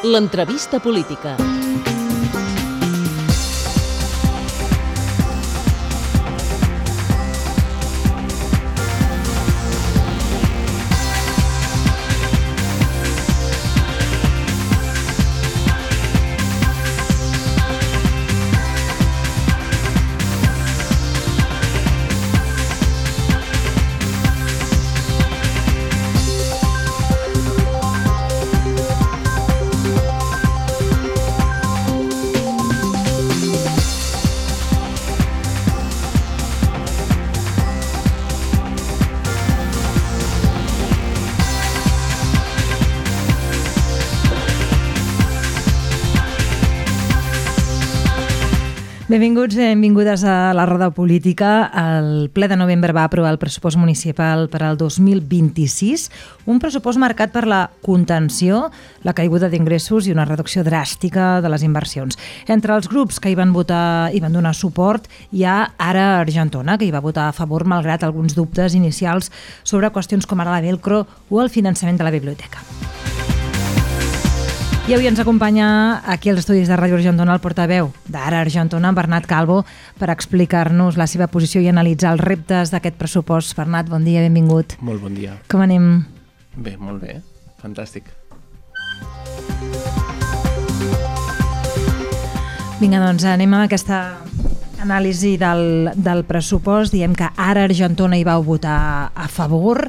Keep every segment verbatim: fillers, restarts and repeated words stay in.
L'entrevista política. Benvinguts i benvingudes a la Roda Política. El ple de novembre va aprovar el pressupost municipal per al dos mil vint-i-sis, un pressupost marcat per la contenció, la caiguda d'ingressos i una reducció dràstica de les inversions. Entre els grups que hi van votar i van donar suport hi ha Ara Argentona, que hi va votar a favor malgrat alguns dubtes inicials sobre qüestions com ara la Velcro o el finançament de la biblioteca. I avui ens acompanya aquí als estudis de Ràdio Argentona el portaveu d'Ara Argentona, Bernat Calvo, per explicar-nos la seva posició i analitzar els reptes d'aquest pressupost. Bernat, bon dia, benvingut. Molt bon dia. Com anem? Bé, molt bé. Fantàstic. Vinga, doncs anem a aquesta anàlisi del, del pressupost. Diem que Ara Argentona hi vau votar a favor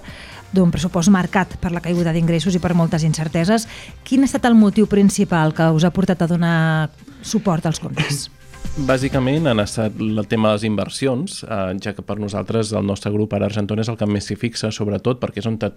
d'un pressupost marcat per la caiguda d'ingressos i per moltes incerteses. Quin ha estat el motiu principal que us ha portat a donar suport als comptes? Bàsicament han estat el tema de les inversions, eh, ja que per nosaltres el nostre grup Ara Argentona és el que més s'hi fixa, sobretot perquè és on te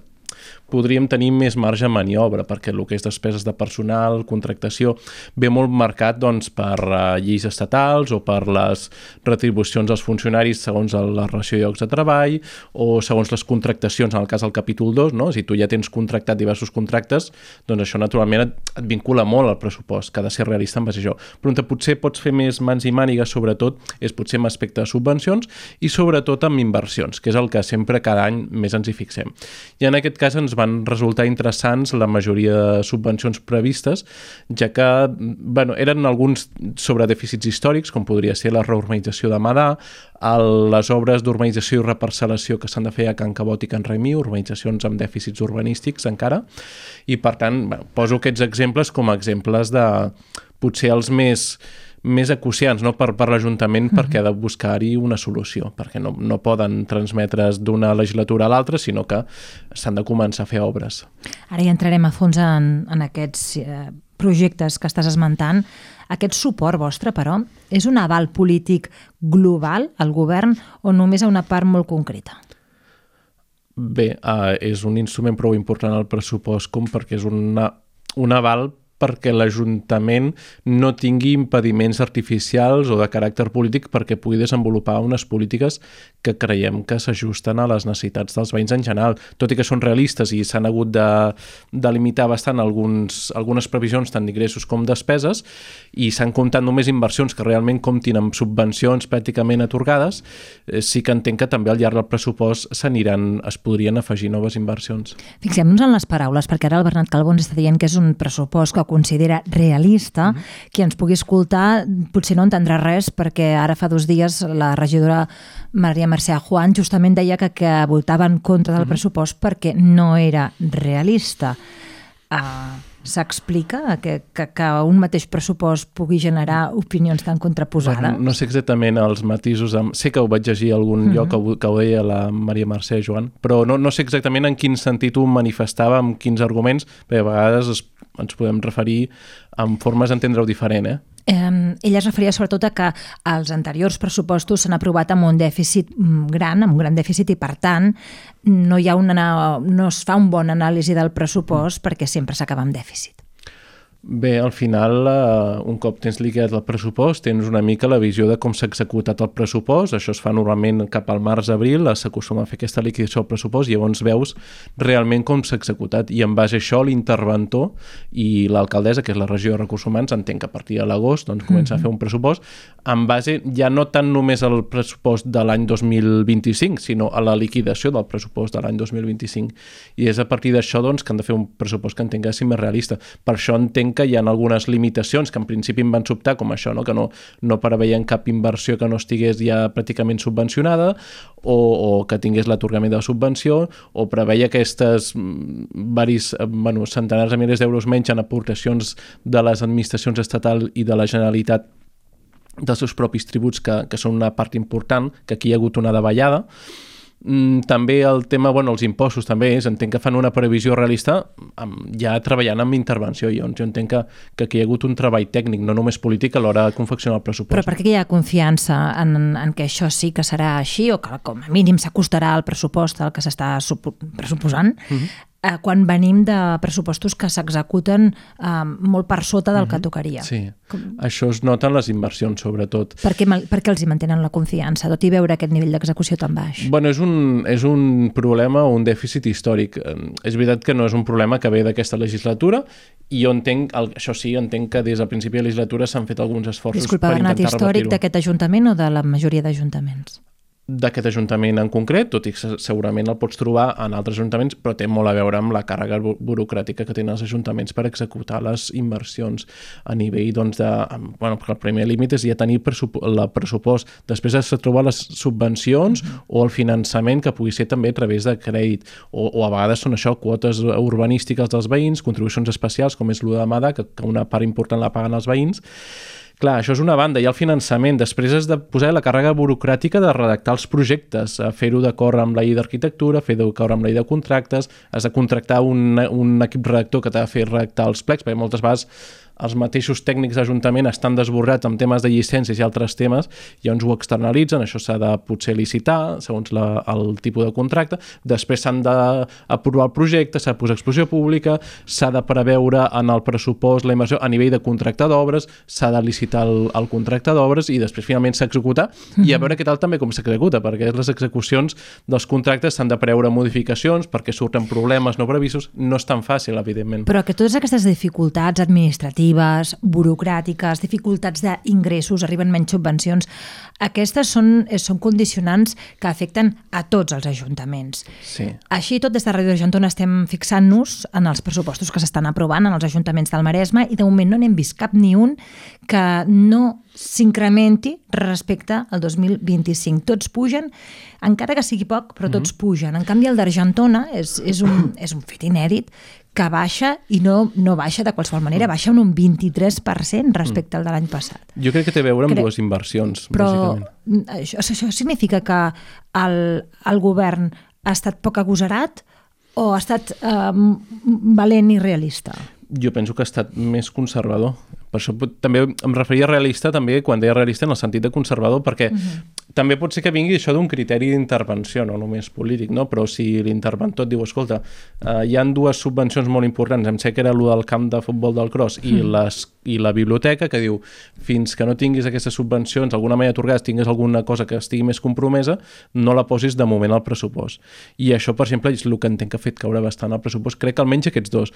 podríem tenir més marge de maniobra, perquè el que és despeses de personal, contractació, ve molt marcat doncs, per uh, lleis estatals o per les retribucions dels funcionaris segons la relació de llocs de treball o segons les contractacions, en el cas del capítol dos, no? Si tu ja tens contractat diversos contractes, doncs això naturalment et, et vincula molt al pressupost, que ha de ser realista en base a això. Però on potser pots fer més mans i mànigues, sobretot, és potser amb aspecte de subvencions i sobretot amb inversions, que és el que sempre cada any més ens hi fixem. I en aquest cas ens van resultar interessants la majoria de subvencions previstes, ja que bueno, eren alguns sobre dèficits històrics, com podria ser la reurbanització de Madà, el, les obres d'urbanització i reparcel·lació que s'han de fer a Can Cabot i Can Raimí, urbanitzacions amb dèficits urbanístics encara, i per tant bueno, poso aquests exemples com a exemples de potser els més més acuciants, no? per, per l'Ajuntament, uh-huh. perquè ha de buscar-hi una solució, perquè no, no poden transmetre's d'una legislatura a l'altra, sinó que s'han de començar a fer obres. Ara ja entrarem a fons en, en aquests eh, projectes que estàs esmentant. Aquest suport vostre, però, és un aval polític global al govern o només a una part molt concreta? Bé, eh, és un instrument prou important al pressupost com perquè és una, un aval perquè l'Ajuntament no tingui impediments artificials o de caràcter polític perquè pugui desenvolupar unes polítiques que creiem que s'ajusten a les necessitats dels veïns en general, tot i que són realistes i s'han hagut de, de limitar bastant alguns, algunes previsions tant d'ingressos com despeses i s'han comptat només inversions que realment comptin amb subvencions pràcticament atorgades, eh, sí que entenc que també al llarg del pressupost s'aniran, es podrien afegir noves inversions. Fixem-nos en les paraules, perquè ara el Bernat Calvo ens està dient que és un pressupost que considera realista, mm-hmm. qui ens pugui escoltar potser no entendrà res perquè ara fa dos dies la regidora Maria Mercè Juan justament deia que, que votava en contra del mm-hmm. pressupost perquè no era realista. Uh, S'explica que, que, que un mateix pressupost pugui generar opinions tan contraposades? Bueno, no sé exactament els matisos, amb... sé que ho vaig llegir a algun mm-hmm. lloc que ho, que ho deia la Maria Mercè Joan, però no, no sé exactament en quin sentit ho manifestava, amb quins arguments, perquè a vegades es, ens podem referir amb formes d'entendre-ho diferent, eh? Eh, ella es referia sobretot a que els anteriors pressupostos s'han aprovat amb un dèficit gran, amb un gran dèficit, i per tant no, hi ha una, no es fa un bon anàlisi del pressupost perquè sempre s'acaba amb dèficit. Bé, al final, eh, un cop tens liquidat el pressupost, tens una mica la visió de com s'ha executat el pressupost. Això es fa normalment cap al març-abril, s'acostuma a fer aquesta liquidació del pressupost i llavors veus realment com s'ha executat. I en base a això, l'interventor i l'alcaldessa, que és la regió de Recursos Humans, entenc que a partir de l'agost doncs, comença mm-hmm. a fer un pressupost en base ja no tant només al pressupost de l'any dos mil vint-i-cinc, sinó a la liquidació del pressupost de l'any dos mil vint-i-cinc. I és a partir d'això doncs, que han de fer un pressupost que entenc que sigui més realista. Per això entenc entenc que hi ha algunes limitacions que en principi em van sobtar, com això, no? que no, no preveien cap inversió que no estigués ja pràcticament subvencionada o, o que tingués l'atorgament de la subvenció, o preveia aquestes varis, bueno, centenars de milers d'euros menys en aportacions de les administracions estatal i de la Generalitat dels seus propis tributs, que, que són una part important, que aquí hi ha hagut una davallada. Mm, també el tema, bueno, els impostos també és, entenc que fan una previsió realista amb, ja treballant amb intervenció, i jo entenc que, que aquí hi ha hagut un treball tècnic, no només polític, a l'hora de confeccionar el pressupost. Però per què hi ha confiança en, en que això sí que serà així, o que com a mínim s'acostarà al pressupost al que s'està pressuposant, mm-hmm. eh, quan venim de pressupostos que s'executen eh, molt per sota del mm-hmm. que tocaria? Sí, com... això es nota en les inversions, sobretot. Per què, per què els hi mantenen la confiança, tot i veure aquest nivell d'execució tan baix? Bueno, és un, és un problema, un dèficit històric. És veritat que no és un problema que ve d'aquesta legislatura, i jo entenc, això sí, entenc que des del principi de la legislatura s'han fet alguns esforços Disculpa, per intentar revertir-ho. històric d'aquest ajuntament o de la majoria d'ajuntaments? D'aquest ajuntament en concret, tot i que segurament el pots trobar en altres ajuntaments, però té molt a veure amb la càrrega burocràtica que tenen els ajuntaments per executar les inversions a nivell, doncs, de... Bueno, perquè el primer límit és ja tenir el pressupost, després has de trobar les subvencions mm-hmm. o el finançament, que pugui ser també a través de crèdit, o, o a vegades són això, quotes urbanístiques dels veïns, contribucions especials, com és l'U de Mada, que, que una part important la paguen els veïns. Clar, això és una banda, hi ha el finançament, després has de posar la càrrega burocràtica de redactar els projectes, fer-ho d'acord amb la llei d'arquitectura, fer-ho d'acord amb la llei de contractes, has de contractar un, un equip redactor que t'ha de fer redactar els plecs, perquè moltes vegades els mateixos tècnics d'Ajuntament estan desbordats amb temes de llicències i altres temes, i llavors ho externalitzen, això s'ha de potser licitar, segons la, el tipus de contracte, després s'han d'aprovar el projecte, s'ha de posar exposició pública, s'ha de preveure en el pressupost la inversió a nivell de contracte d'obres, s'ha de licitar el, el contracte d'obres i després finalment s'executa, mm-hmm. i a veure què tal també com s'executa, perquè les execucions dels contractes s'han de preveure modificacions perquè surten problemes no previstos, no és tan fàcil, evidentment. Però que totes aquestes dificultats administratives, burocràtiques, dificultats d'ingressos, arriben menys subvencions, aquestes són, són condicionants que afecten a tots els ajuntaments. Sí. Així tot, des de Ràdio Argentona estem fixant-nos en els pressupostos que s'estan aprovant en els ajuntaments del Maresme, i de moment no n'hem vist cap ni un que no s'incrementi respecte al dos mil vint-i-cinc. Tots pugen, encara que sigui poc, però tots mm-hmm. pugen. En canvi, el d'Argentona és, és, un, és un fet inèdit, que baixa, i no, no baixa de qualsevol manera, baixa un vint-i-tres per cent respecte al de l'any passat. Jo crec que té a veure amb Crec... dues inversions, però bàsicament. Això, això significa que el, el govern ha estat poc agosarat o ha estat eh, valent i realista? Jo penso que ha estat més conservador. Per això també em referia a realista, també quan deia realista en el sentit de conservador, perquè uh-huh. també pot ser que vingui això d'un criteri d'intervenció, no només polític, no? Però si l'interventor et diu, escolta, eh, hi han dues subvencions molt importants, em sé que era allò del camp de futbol del Cross i, uh-huh. les, i la biblioteca, que diu, fins que no tinguis aquestes subvencions, d'alguna manera atorgades, tinguis alguna cosa que estigui més compromesa, no la posis de moment al pressupost. I això, per exemple, és el que entenc que ha fet caure bastant al pressupost, crec que almenys aquests dos.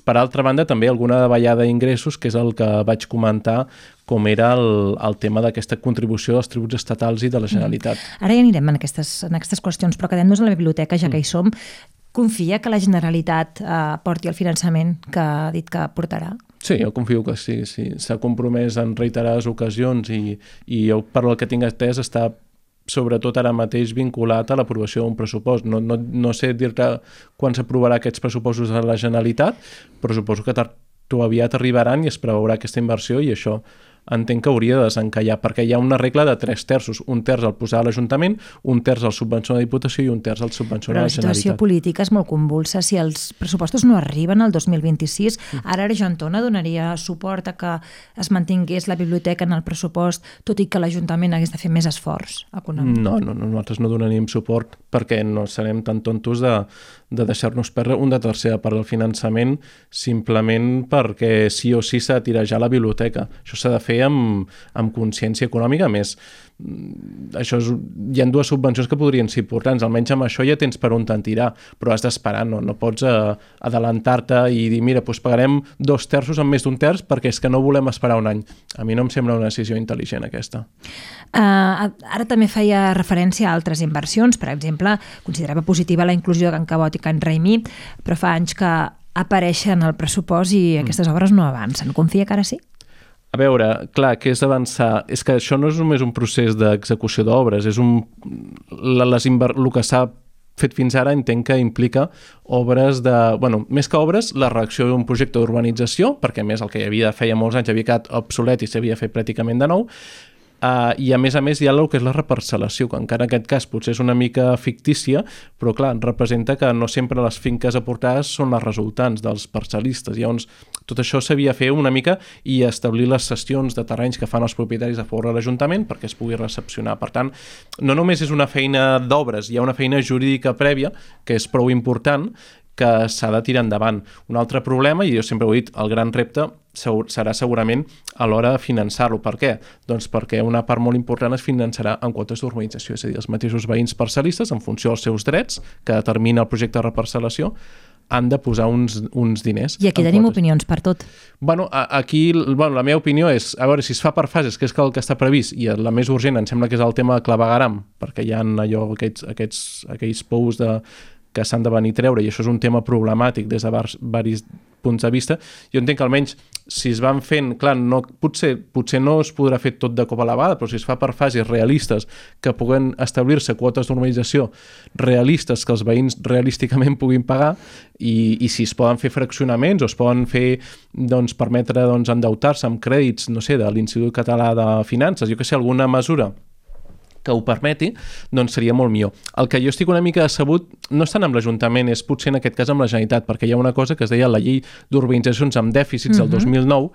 Per altra banda, també alguna davallada d'ingressos, que és el que vaig comentar, com era el, el tema d'aquesta contribució dels tributs estatals i de la Generalitat. Mm. Ara ja anirem en aquestes, en aquestes qüestions, però quedem-nos a la biblioteca, ja que hi som. Confia que la Generalitat eh, porti el finançament que ha dit que portarà? Sí, jo confio que sí. sí. S'ha compromès en reiterades ocasions i, i jo, per el que tinc entès, està sobretot ara mateix vinculat a l'aprovació d'un pressupost. No, no, no sé dir-te quan s'aprovarà aquests pressupostos de la Generalitat, però suposo que tard o aviat arribaran i es preveurà aquesta inversió, i això entenc que hauria de desencallar, perquè hi ha una regla de tres terços, un terç al posar a l'Ajuntament, un terç al subvencionar la Diputació i un terç al subvencionar la Generalitat. Però la situació política és molt convulsa. Si els pressupostos no arriben al dos mil vint-i-sis, ara Argentona donaria suport a que es mantingués la biblioteca en el pressupost, tot i que l'Ajuntament hagués de fer més esforç econòmic. No, no, no, nosaltres no donaríem suport perquè no serem tan tontos de, de deixar-nos perdre una tercera part del finançament simplement perquè sí o sí s'ha de tirejar la biblioteca. Això s'ha de fer amb, amb consciència econòmica. A més, això és, hi ha dues subvencions que podrien ser importants, almenys amb això ja tens per on te'n tirar, però has d'esperar, no, no pots uh, adelantar-te i dir, mira, doncs pagarem dos terços amb més d'un terç perquè és que no volem esperar un any. A mi no em sembla una decisió intel·ligent aquesta. Uh, ara també feia referència a altres inversions, per exemple, considerava positiva la inclusió de Can Cabot i Can Raimí, però fa anys que aparèixer en el pressupost i aquestes obres no avancen. Confia que ara sí? A veure, clar, què és avançar? És que això no és només un procés d'execució d'obres, és un... Les inver... el que s'ha fet fins ara entenc que implica obres de... Bueno, més que obres, la reacció d'un projecte d'urbanització, perquè a més el que hi havia feia molts anys havia quedat obsolet i s'havia fet pràcticament de nou, Uh, i a més a més hi ha el que és la reparcel·lació, que encara en aquest cas potser és una mica fictícia, però clar, representa que no sempre les finques aportades són les resultants dels parcel·listes. Llavors, tot això s'havia de fer una mica i establir les cessions de terrenys que fan els propietaris a favor de l'Ajuntament perquè es pugui recepcionar. Per tant, no només és una feina d'obres, hi ha una feina jurídica prèvia que és prou important, que s'ha de tirar endavant. Un altre problema, i jo sempre ho he dit, el gran repte serà segurament a l'hora de finançar-lo. Per què? Doncs perquè una part molt important es finançarà en quotes d'urbanització, és a dir, els mateixos veïns parcel·listes, en funció dels seus drets, que determina el projecte de reparcel·lació, han de posar uns, uns diners. I aquí tenim quotes. Opinions per tot. Bueno, aquí bueno, la meva opinió és, a veure, si es fa per fases, que és el que està previst, i la més urgent em sembla que és el tema de clavegueram, perquè hi ha allò, aquests, aquests, aquells pous de que s'han de venir a treure, i això és un tema problemàtic des de diversos punts de vista. Jo entenc que almenys si es van fent, clar, no, potser, potser no es podrà fer tot de cop a la vegada, però si es fa per fases realistes que puguen establir-se quotes d'urbanització realistes que els veïns realísticament puguin pagar, i, i si es poden fer fraccionaments o es poden fer, doncs, permetre doncs, endeutar-se amb crèdits, no sé, de l'Institut Català de Finances, jo que sé, alguna mesura que ho permeti, doncs seria molt millor. El que jo estic una mica decebut no és tant amb l'Ajuntament, és potser en aquest cas amb la Generalitat, perquè hi ha una cosa que es deia la llei d'urbanitzacions amb dèficits del dos mil nou,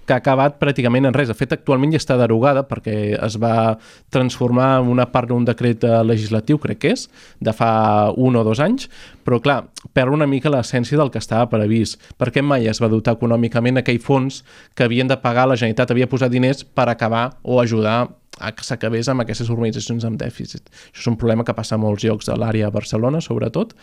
que ha acabat pràcticament en res. De fet, actualment ja està derogada perquè es va transformar en una part d'un decret legislatiu, crec que és, de fa un o dos anys, però clar, perd una mica l'essència del que estava previst. Perquè mai es va dotar econòmicament aquell fons que havien de pagar, la Generalitat havia posat diners per acabar o ajudar a que s'acabés amb aquestes urbanitzacions amb dèficit. Això és un problema que passa a molts llocs de l'àrea de Barcelona, sobretot,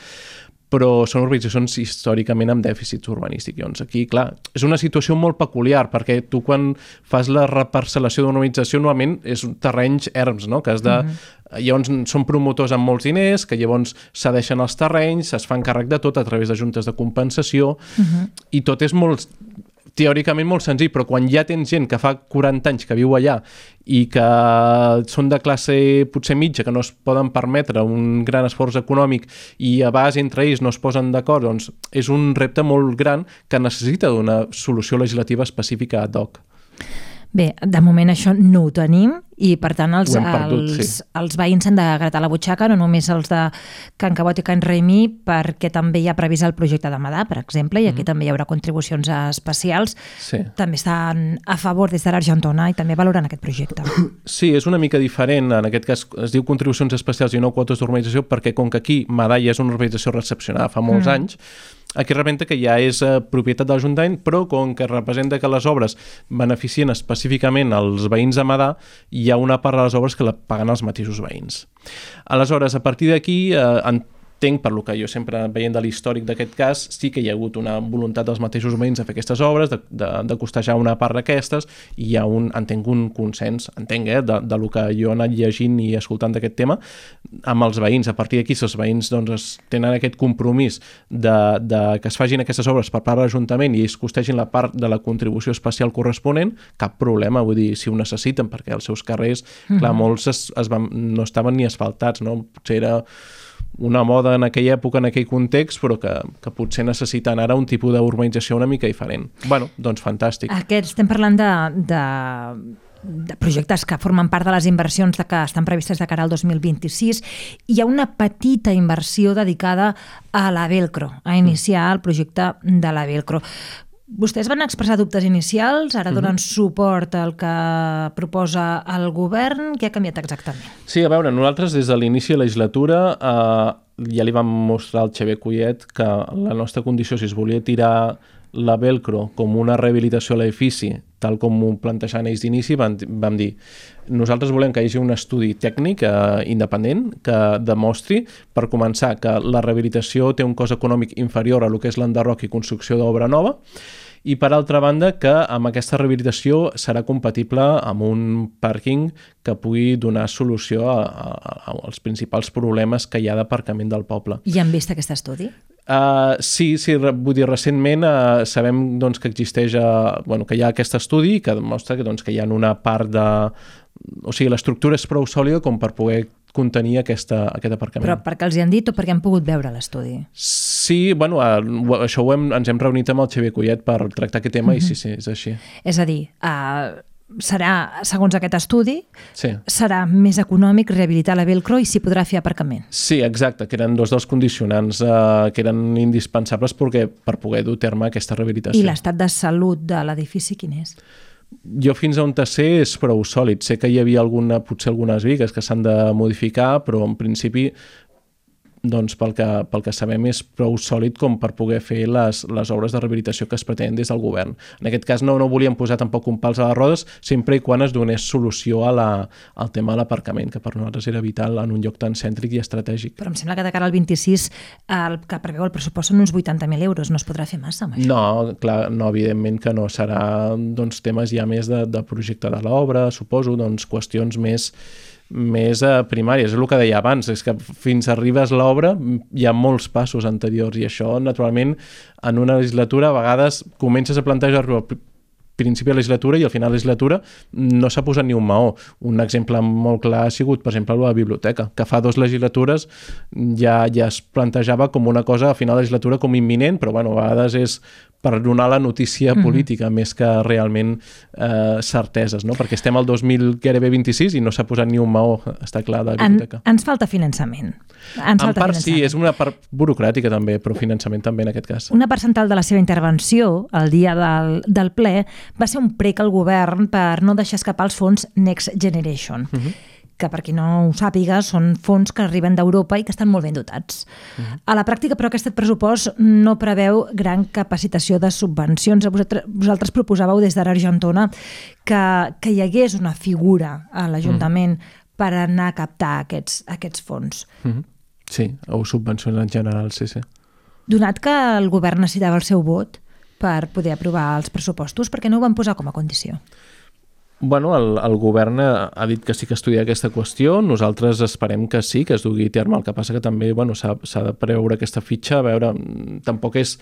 però són urbanitzacions històricament amb dèficits urbanístics. Llavors, aquí, clar, és una situació molt peculiar, perquè tu quan fas la reparcel·lació d'una urbanització normalment és terrenys erms, no? Que has de... Uh-huh. Llavors són promotors amb molts diners, que llavors cedeixen els terrenys, es fan càrrec de tot a través de juntes de compensació, uh-huh. i tot és molt... teòricament molt senzill, però quan ja tens gent que fa quaranta anys que viu allà i que són de classe potser mitja, que no es poden permetre un gran esforç econòmic i a base entre ells no es posen d'acord, doncs és un repte molt gran que necessita d'una solució legislativa específica ad hoc. Bé, de moment això no ho tenim i per tant els, perdut, els, sí. els veïns s'han de gratar la butxaca, no només els de Can Cabot i Can Raimí, perquè també hi ha previst el projecte de Madà, per exemple, i aquí mm. també hi haurà contribucions especials. Sí. També estan a favor des de l'Argentona i també valoren aquest projecte. Sí, és una mica diferent. En aquest cas es diu contribucions especials i no quotes d'urbanització, perquè com que aquí Madà ja és una urbanització recepcionada fa molts mm. anys, aquí representa que ja és eh, propietat de l'Ajuntament, però com que representa que les obres beneficien específicament els veïns de Madà, hi ha una part de les obres que la paguen els mateixos veïns. Aleshores, a partir d'aquí, eh, entenc, per lo que jo sempre veient de l'històric d'aquest cas, sí que hi ha hagut una voluntat dels mateixos veïns de fer aquestes obres, de, de, de costejar una part d'aquestes, i hi ha un, entenc, un consens, entenc, eh, de, de lo que jo he anat llegint i escoltant d'aquest tema, amb els veïns. A partir d'aquí, si els veïns doncs, tenen aquest compromís de, de que es facin aquestes obres per part de l'Ajuntament i es costegin la part de la contribució especial corresponent, cap problema, vull dir, si ho necessiten, perquè els seus carrers, mm-hmm. clar, molts es, es van, no estaven ni asfaltats, no? Potser era una moda en aquella època, en aquell context, però que, que potser necessiten ara un tipus d'urbanització una mica diferent. Bueno, doncs fantàstic. Aquest, estem parlant de, de, de projectes que formen part de les inversions de que estan previstes de cara al dos mil vint-i-sis. Hi ha una petita inversió dedicada a la Velcro, a iniciar el projecte de la Velcro. Vostès van expressar dubtes inicials, ara donen mm-hmm. suport al que proposa el govern. Què ha canviat exactament? Sí, a veure, nosaltres des de l'inici de la legislatura eh, ja li vam mostrar al Xavier Collet que la nostra condició, si es volia tirar la Velcro com una rehabilitació a l'edifici, tal com ho plantejaven ells d'inici, vam, vam dir nosaltres volem que hi hagi un estudi tècnic eh, independent que demostri, per començar, que la rehabilitació té un cost econòmic inferior a lo que és l'enderroc i construcció d'obra nova, i per altra banda que amb aquesta rehabilitació serà compatible amb un pàrquing que pugui donar solució a, a, als principals problemes que hi ha d'aparcament del poble. I han vist aquest estudi? Uh, sí, sí, vull dir, recentment uh, sabem doncs, que existeix, uh, bueno, que hi ha aquest estudi que demostra que, doncs, que hi ha una part de... O sigui, l'estructura és prou sòlida com per poder contenir aquesta, aquest aparcament. Però perquè els hi han dit o perquè han pogut veure l'estudi? Sí, bueno, uh, això ho hem, ens hem reunit amb el Xavier Collet per tractar aquest tema mm-hmm. i sí, sí, és així. És a dir, uh, serà, segons aquest estudi, sí. serà més econòmic rehabilitar la Velcro i s'hi podrà fer aparcament. Sí, exacte, que eren dos dels condicionants uh, que eren indispensables perquè, per poder dur a terme aquesta rehabilitació. I l'estat de salut de l'edifici quin és? Jo fins a on te sé és prou sòlid. Sé que hi havia alguna, potser algunes bigues que s'han de modificar, però en principi doncs pel que, pel que sabem és prou sòlid com per poder fer les, les obres de rehabilitació que es pretenen des del govern. En aquest cas no, no volíem posar tampoc un pals a les rodes, sempre i quan es donés solució a la, al tema de l'aparcament, que per nosaltres era vital en un lloc tan cèntric i estratègic. Però em sembla que de cara al vint-i-sis el que preveu el pressupost són uns vuitanta mil euros, no es podrà fer massa amb això? No, clar, no, evidentment que no. Serà doncs, temes ja més de, de projecte de l'obra, suposo, doncs qüestions més més eh, primàries, és el que deia abans, és que fins arribes l'obra hi ha molts passos anteriors i això naturalment en una legislatura a vegades comences a plantejar-ho al principi de la legislatura i al final de la legislatura no s'ha posat ni un maó. Un exemple molt clar ha sigut, per exemple, la biblioteca, que fa dues legislatures ja, ja es plantejava com una cosa a final de la legislatura com imminent, però bueno, a vegades és per donar la notícia política mm-hmm. més que realment eh, certeses, no? Perquè estem al dos mil vint-i-sis i no s'ha posat ni un maó, està clar, de la biblioteca. En, ens falta finançament. Ens en falta part finançament. Sí, és una part burocràtica també, però finançament també en aquest cas. Una part central de la seva intervenció el dia del, del ple va ser un prec al govern per no deixar escapar els fons Next Generation. Mm-hmm. que per qui no ho sàpiga són fons que arriben d'Europa i que estan molt ben dotats. Uh-huh. A la pràctica, però, aquest pressupost no preveu gran capacitació de subvencions. Vosaltres, vosaltres proposàveu des d'Argentona que, que hi hagués una figura a l'Ajuntament uh-huh. per anar a captar aquests, aquests fons. Uh-huh. Sí, o subvencions en general, sí, sí. Donat que el govern necessitava el seu vot per poder aprovar els pressupostos, per què no ho van posar com a condició? Bueno, el, el govern ha dit que sí que estudia aquesta qüestió, nosaltres esperem que sí, que es dugui a terme, el que passa que també bueno, s'ha, s'ha de preveure aquesta fitxa, a veure, tampoc és...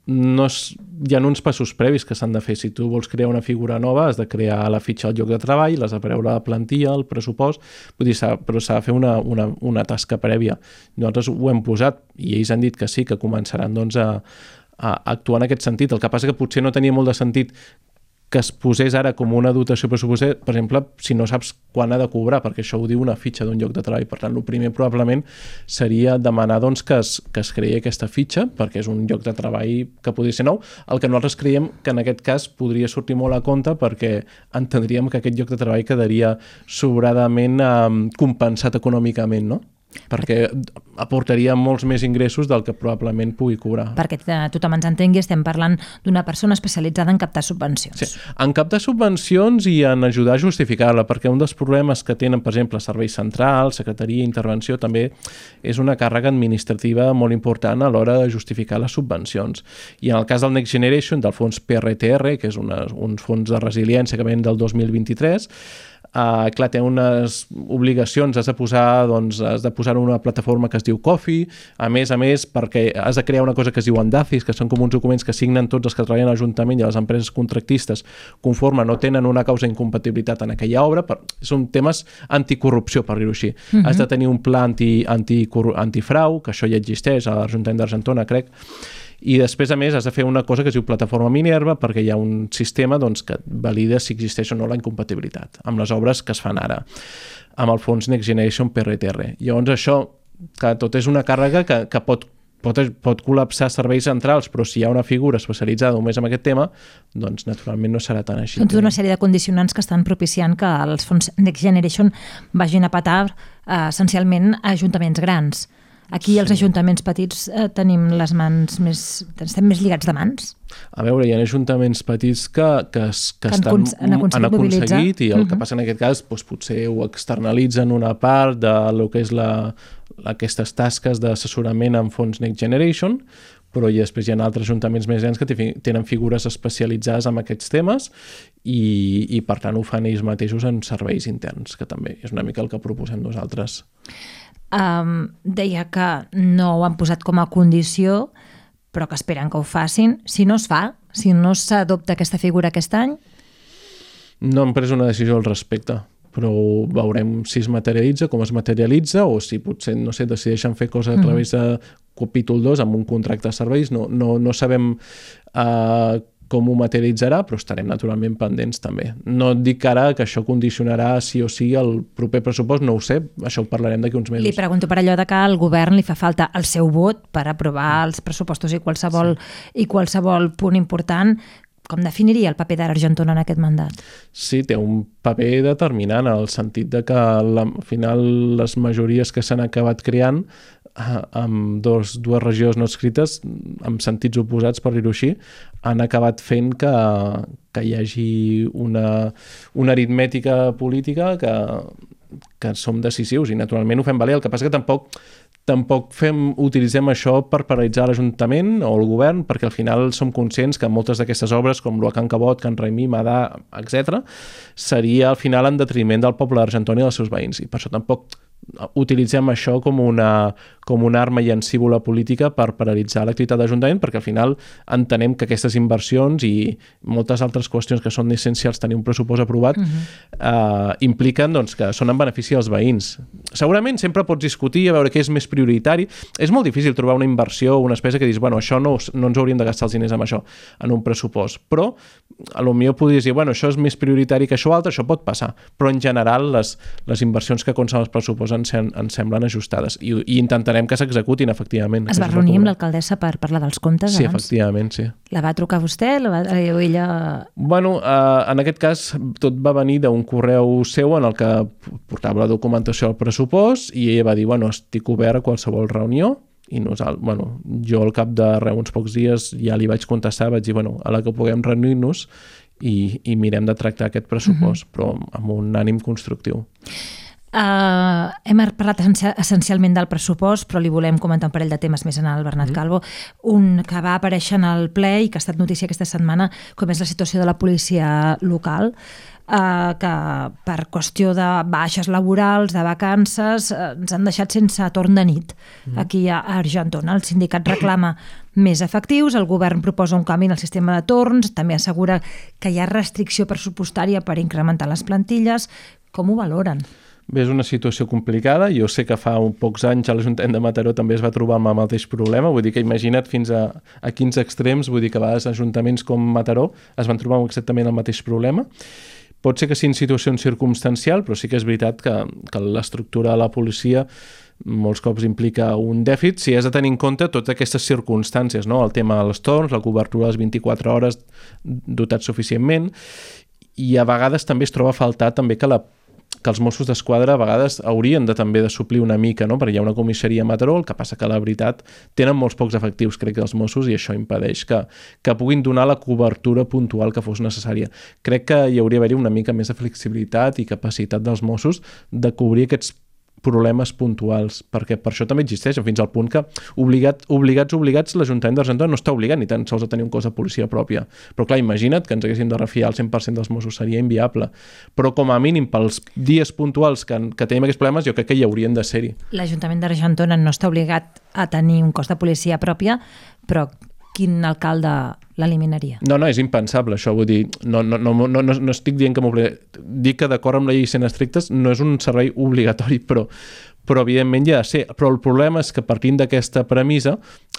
No és, hi ha uns passos previs que s'han de fer. Si tu vols crear una figura nova, has de crear la fitxa al lloc de treball, l'has de preveure la plantilla, el pressupost, vull dir, s'ha, però s'ha de fer una, una, una tasca prèvia. Nosaltres ho hem posat i ells han dit que sí, que començaran doncs, a, a actuar en aquest sentit. El que passa que potser no tenia molt de sentit que es posés ara com una dotació pressupostària, per exemple, si no saps quan ha de cobrar, perquè això ho diu una fitxa d'un lloc de treball. Per tant, el primer probablement seria demanar doncs, que, es, que es creï aquesta fitxa, perquè és un lloc de treball que podria ser nou. El que nosaltres creiem que en aquest cas podria sortir molt a compte perquè entendríem que aquest lloc de treball quedaria sobradament eh, compensat econòmicament, no? Perquè aportaria molts més ingressos del que probablement pugui cobrar. Perquè tothom ens entengui, estem parlant d'una persona especialitzada en captar subvencions. Sí, en captar subvencions i en ajudar a justificar-la, perquè un dels problemes que tenen, per exemple, serveis centrals, secretaria, intervenció, també és una càrrega administrativa molt important a l'hora de justificar les subvencions. I en el cas del Next Generation, del fons P R T R, que és una, uns fons de resiliència que ven del dos mil vint-i-tres, Uh, clar, té unes obligacions, has de posar doncs, has de posar una plataforma que es diu Coffee, a més a més perquè has de crear una cosa que es diu Andacis, que són com uns documents que signen tots els que treballen a l'Ajuntament i a les empreses contractistes conforme no tenen una causa d'incompatibilitat en aquella obra, per, són temes anticorrupció, per dir-ho així. Uh-huh. Has de tenir un pla anti, anti, antifrau, que això ja existeix a l'Ajuntament d'Argentona, crec, i després, a més, has de fer una cosa que es diu plataforma Minerva perquè hi ha un sistema doncs, que valida si existeix o no la incompatibilitat amb les obres que es fan ara, amb el fons Next Generation P R T R. Llavors això, que tot és una càrrega que, que pot, pot, pot col·lapsar serveis centrals, però si hi ha una figura especialitzada només en aquest tema, doncs naturalment no serà tan així. Doncs una sèrie de condicionants que estan propiciant que els fons Next Generation vagin a petar eh, essencialment a ajuntaments grans. Aquí els sí. ajuntaments petits eh, tenim les mans més... estem més lligats de mans? A veure, hi ha ajuntaments petits que, que, que, que estan, han aconseguit, han aconseguit i el uh-huh. que passa en aquest cas doncs, potser ho externalitzen una part de lo que és la, aquestes tasques d'assessorament en fons Next Generation, però i després hi ha altres ajuntaments més grans que tenen figures especialitzades en aquests temes i, i per tant ho fan ells mateixos en serveis interns, que també és una mica el que proposem nosaltres. Um, deia que no ho han posat com a condició, però que esperen que ho facin. Si no es fa, si no s'adopta aquesta figura aquest any? No hem pres una decisió al respecte, però veurem si es materialitza, com es materialitza, o si potser, no sé, decideixen fer coses a través de capítol dos amb un contracte de serveis. No, no, no sabem uh, com ho materialitzarà, però estarem naturalment pendents també. No et dic ara que això condicionarà sí o sí el proper pressupost, no ho sé, això ho parlarem d'aquí uns mesos. Li pregunto per allò de que al govern li fa falta el seu vot per aprovar els pressupostos i qualsevol, sí. i qualsevol punt important. Com definiria el paper d'Argentona en aquest mandat? Sí, té un paper determinant, en el sentit de que la, al final les majories que s'han acabat creant amb dos, dues regions no escrites, amb sentits oposats, per dir-ho així, han acabat fent que, que hi hagi una, una aritmètica política que, que som decisius i naturalment ho fem valer. El que passa que tampoc Tampoc fem, utilitzem això per paralitzar l'Ajuntament o el govern, perquè al final som conscients que moltes d'aquestes obres, com l'Uacan Cabot, Can Raimí, Madà, etcètera, seria al final en detriment del poble d'Argentona i dels seus veïns. I per això tampoc utilitzem això com una, com una arma llancívola política per paralitzar l'activitat de l'Ajuntament, perquè al final entenem que aquestes inversions i moltes altres qüestions que són essencials tenir un pressupost aprovat uh-huh. eh, impliquen doncs, que són en benefici dels veïns. Segurament sempre pots discutir a veure què és més prioritari. És molt difícil trobar una inversió o una despesa que dius, bueno, això no, no ens hauríem de gastar els diners amb això en un pressupost, però a lo millor podries dir, bueno, això és més prioritari que això altre, això pot passar, però en general les, les inversions que consten els pressupostos ens, ens semblen ajustades i, i intentarem que s'executin efectivament. Es va reunir amb l'alcaldessa per parlar dels comptes sí, abans? Sí, efectivament, sí. La va trucar vostè la va, o ella... Bueno, eh, en aquest cas tot va venir d'un correu seu en el que portava la documentació al pressupost i ella va dir, bueno, estic obert a qualsevol reunió i nosaltres, bueno, jo al cap de re, uns pocs dies ja li vaig contestar, vaig dir, bueno, a la que puguem reunir-nos i, i mirem de tractar aquest pressupost, uh-huh. però amb un ànim constructiu. Uh, hem parlat essencialment del pressupost, però li volem comentar un parell de temes més en el Bernat mm. Calvo. Un que va aparèixer en el ple i que ha estat notícia aquesta setmana, com és la situació de la policia local, uh, que per qüestió de baixes laborals, de vacances, uh, ens han deixat sense torn de nit mm. aquí a Argentona. El sindicat reclama més efectius, el govern proposa un canvi en el sistema de torns, també assegura que hi ha restricció pressupostària per incrementar les plantilles. Com ho valoren? Bé, és una situació complicada. Jo sé que fa uns pocs anys a l'Ajuntament de Mataró també es va trobar amb el mateix problema. Vull dir que imagina't fins a, a quins extrems, vull dir que a vegades ajuntaments com Mataró es van trobar exactament el mateix problema. Pot ser que sigui en situació circumstancial, però sí que és veritat que, que l'estructura de la policia molts cops implica un dèficit si has de tenir en compte totes aquestes circumstàncies, no? El tema dels torns, la cobertura de les vint-i-quatre hores dotat suficientment, i a vegades també es troba a faltar també que la que els Mossos d'Esquadra a vegades haurien de també de suplir una mica, no? Perquè hi ha una comissaria a Mataró, el que passa que la veritat tenen molts pocs efectius, crec que els Mossos, i això impedeix que, que puguin donar la cobertura puntual que fos necessària. Crec que hi hauria d'haver una mica més de flexibilitat i capacitat dels Mossos de cobrir aquests problemes puntuals, perquè per això també existeix, fins al punt que obligat, obligats, obligats, l'Ajuntament d'Argentona no està obligat ni tan sols a tenir un cos de policia pròpia. Però clar, imagina't que ens haguéssim de refiar al cent per cent dels Mossos, seria inviable. Però com a mínim, pels dies puntuals que, que tenim aquests problemes, jo crec que hi haurien de ser-hi. L'Ajuntament d'Argentona no està obligat a tenir un cos de policia pròpia, però quin alcalde l'eliminaria? No, no, és impensable, això, vull dir, no, no, no, no, no, no estic dient que m'obligat. Dic que d'acord amb la llei sent estrictes no és un servei obligatori, però, però evidentment ja ha de ser. Però el problema és que partint d'aquesta premissa,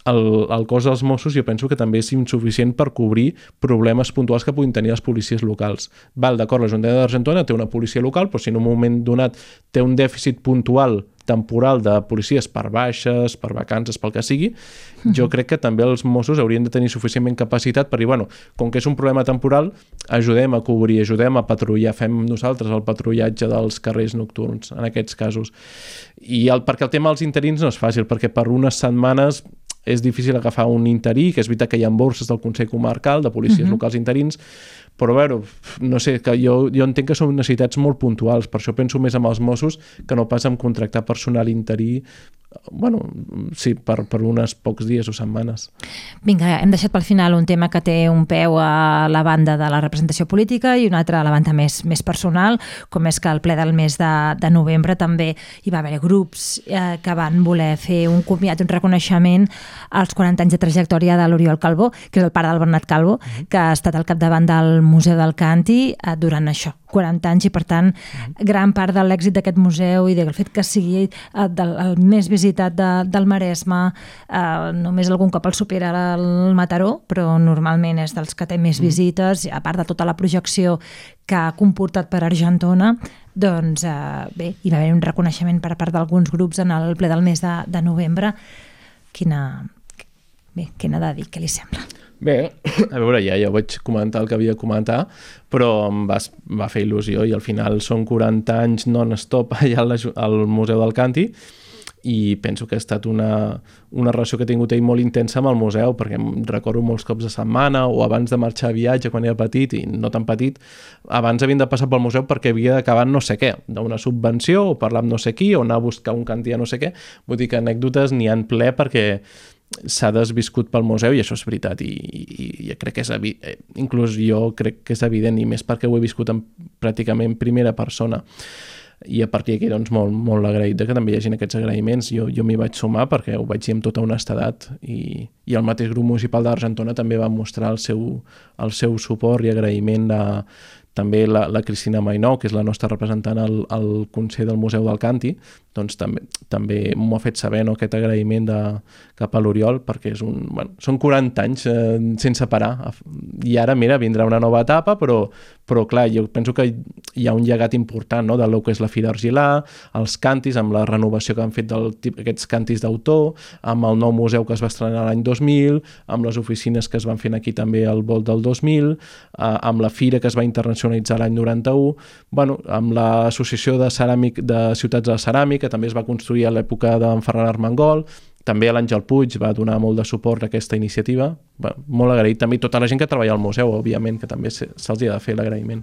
el, el cos dels Mossos jo penso que també és insuficient per cobrir problemes puntuals que puguin tenir les policies locals. Val, d'acord, l'Ajuntament d'Argentona té una policia local, però si en un moment donat té un dèficit puntual temporal de policies per baixes, per vacances, pel que sigui, jo crec que també els Mossos haurien de tenir suficientment capacitat per dir, bueno, com que és un problema temporal, ajudem a cobrir, ajudem a patrullar, fem nosaltres el patrullatge dels carrers nocturns, en aquests casos. I el, perquè el tema dels interins no és fàcil, perquè per unes setmanes és difícil agafar un interí, que és veritat que hi ha borses del Consell Comarcal, de policies uh-huh. locals interins, però bueno, no sé, que jo, jo entenc que són necessitats molt puntuals, per això penso més amb els Mossos que no pas en contractar personal interí, bueno, sí, per, per uns pocs dies o setmanes. Vinga, hem deixat pel final un tema que té un peu a la banda de la representació política i un altre a la banda més, més personal, com és que al ple del mes de, de novembre també hi va haver grups eh, que van voler fer un comiat, un reconeixement als quaranta anys de trajectòria de l'Oriol Calvo, que és el pare del Bernat Calvo, mm-hmm. que ha estat al capdavant del Museu del Càntir eh, durant això, quaranta anys, i per tant mm-hmm. gran part de l'èxit d'aquest museu i del fet que sigui eh, del, el més visitat de, del Maresme, eh, només algun cop el supera el Mataró, però normalment és dels que té més mm-hmm. visites, a part de tota la projecció que ha comportat per Argentona, doncs eh, bé, hi va haver un reconeixement per part d'alguns grups en el ple del mes de, de novembre. Quina, bé, què n'ha de dir, què li sembla? Bé, a veure, ja, ja vaig comentar el que havia de comentar, però em va, va fer il·lusió i al final són quaranta anys non-stop allà al, al Museu del Càntir i penso que ha estat una, una relació que he tingut ell molt intensa amb el museu, perquè em recordo molts cops de setmana o abans de marxar a viatge quan era petit i no tan petit, abans havien de passar pel museu perquè havia d'acabar no sé què, d'una subvenció o parlar amb no sé qui o anar a buscar un cantí a no sé què. Vull dir que anècdotes n'hi ha en ple perquè s'ha desviscut pel museu i això és veritat i, i, i crec que és evident, inclús jo crec que és evident i més perquè ho he viscut en pràcticament primera persona i a partir d'aquí doncs molt, molt agraït que també hi hagin aquests agraïments. Jo, jo m'hi vaig sumar perquè ho vaig dir amb tota honestedat i, i el mateix grup municipal d'Argentona també va mostrar el seu, el seu suport i agraïment a també la, la Cristina Mainó, que és la nostra representant al, al Consell del Museu del Càntir, doncs també, també m'ho ha fet saber, no, aquest agraïment de, cap a l'Oriol, perquè és un, bueno, són quaranta anys eh, sense parar. I ara, mira, vindrà una nova etapa, però, però clar, jo penso que hi ha un llegat important, no?, del que és la Fira Argilà, els càntirs, amb la renovació que han fet d'aquests càntirs d'autor, amb el nou museu que es va estrenar l'any dos mil, amb les oficines que es van fer aquí també al volt del dos mil, eh, amb la fira que es va internacionalitzar l'any noranta-u, bueno, amb l'associació de, ceràmic, de ciutats de la ceràmica, que també es va construir a l'època d'en Ferran Armengol, també l'Àngel Puig va donar molt de suport a aquesta iniciativa. Bueno, molt agraït també tota la gent que treballa al museu, òbviament, que també se'ls ha de fer l'agraïment.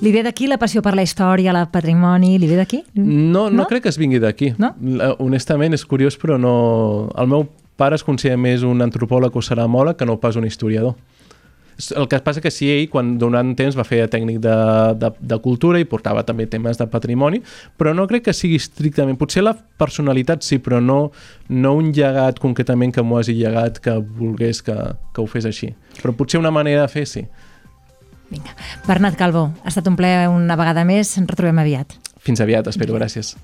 Li ve d'aquí la passió per la història, el patrimoni? Li ve d'aquí? No, no, no crec que es vingui d'aquí. No? Honestament, és curiós, però no... El meu pare es considera més un antropòleg o ceramòleg que no pas un historiador. El que passa que sí, ell, quan durant temps va fer tècnic de, de, de cultura i portava també temes de patrimoni, però no crec que sigui estrictament... Potser la personalitat sí, però no, no un llegat concretament que m'ho hagi llegat que volgués que, que ho fes així. Però potser una manera de fer, sí. Vinga. Bernat Calvo, ha estat un plaer una vegada més. Ens retrobem aviat. Fins aviat, espero. Gràcies.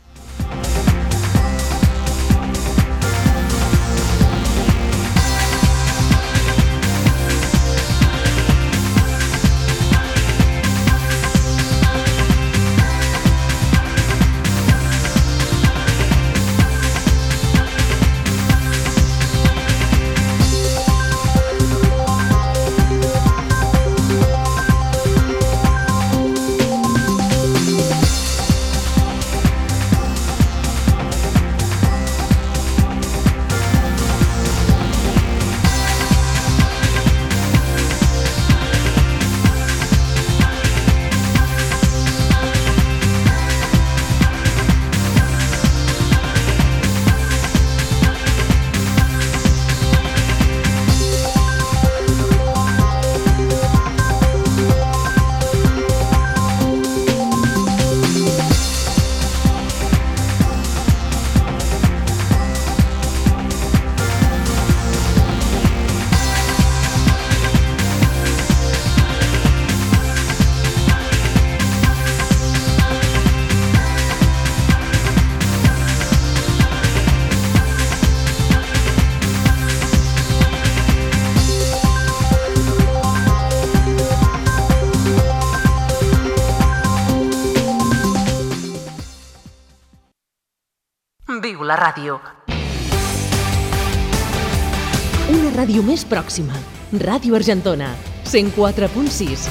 Viu la ràdio. Una ràdio més pròxima. Ràdio Argentona, cent quatre punt sis.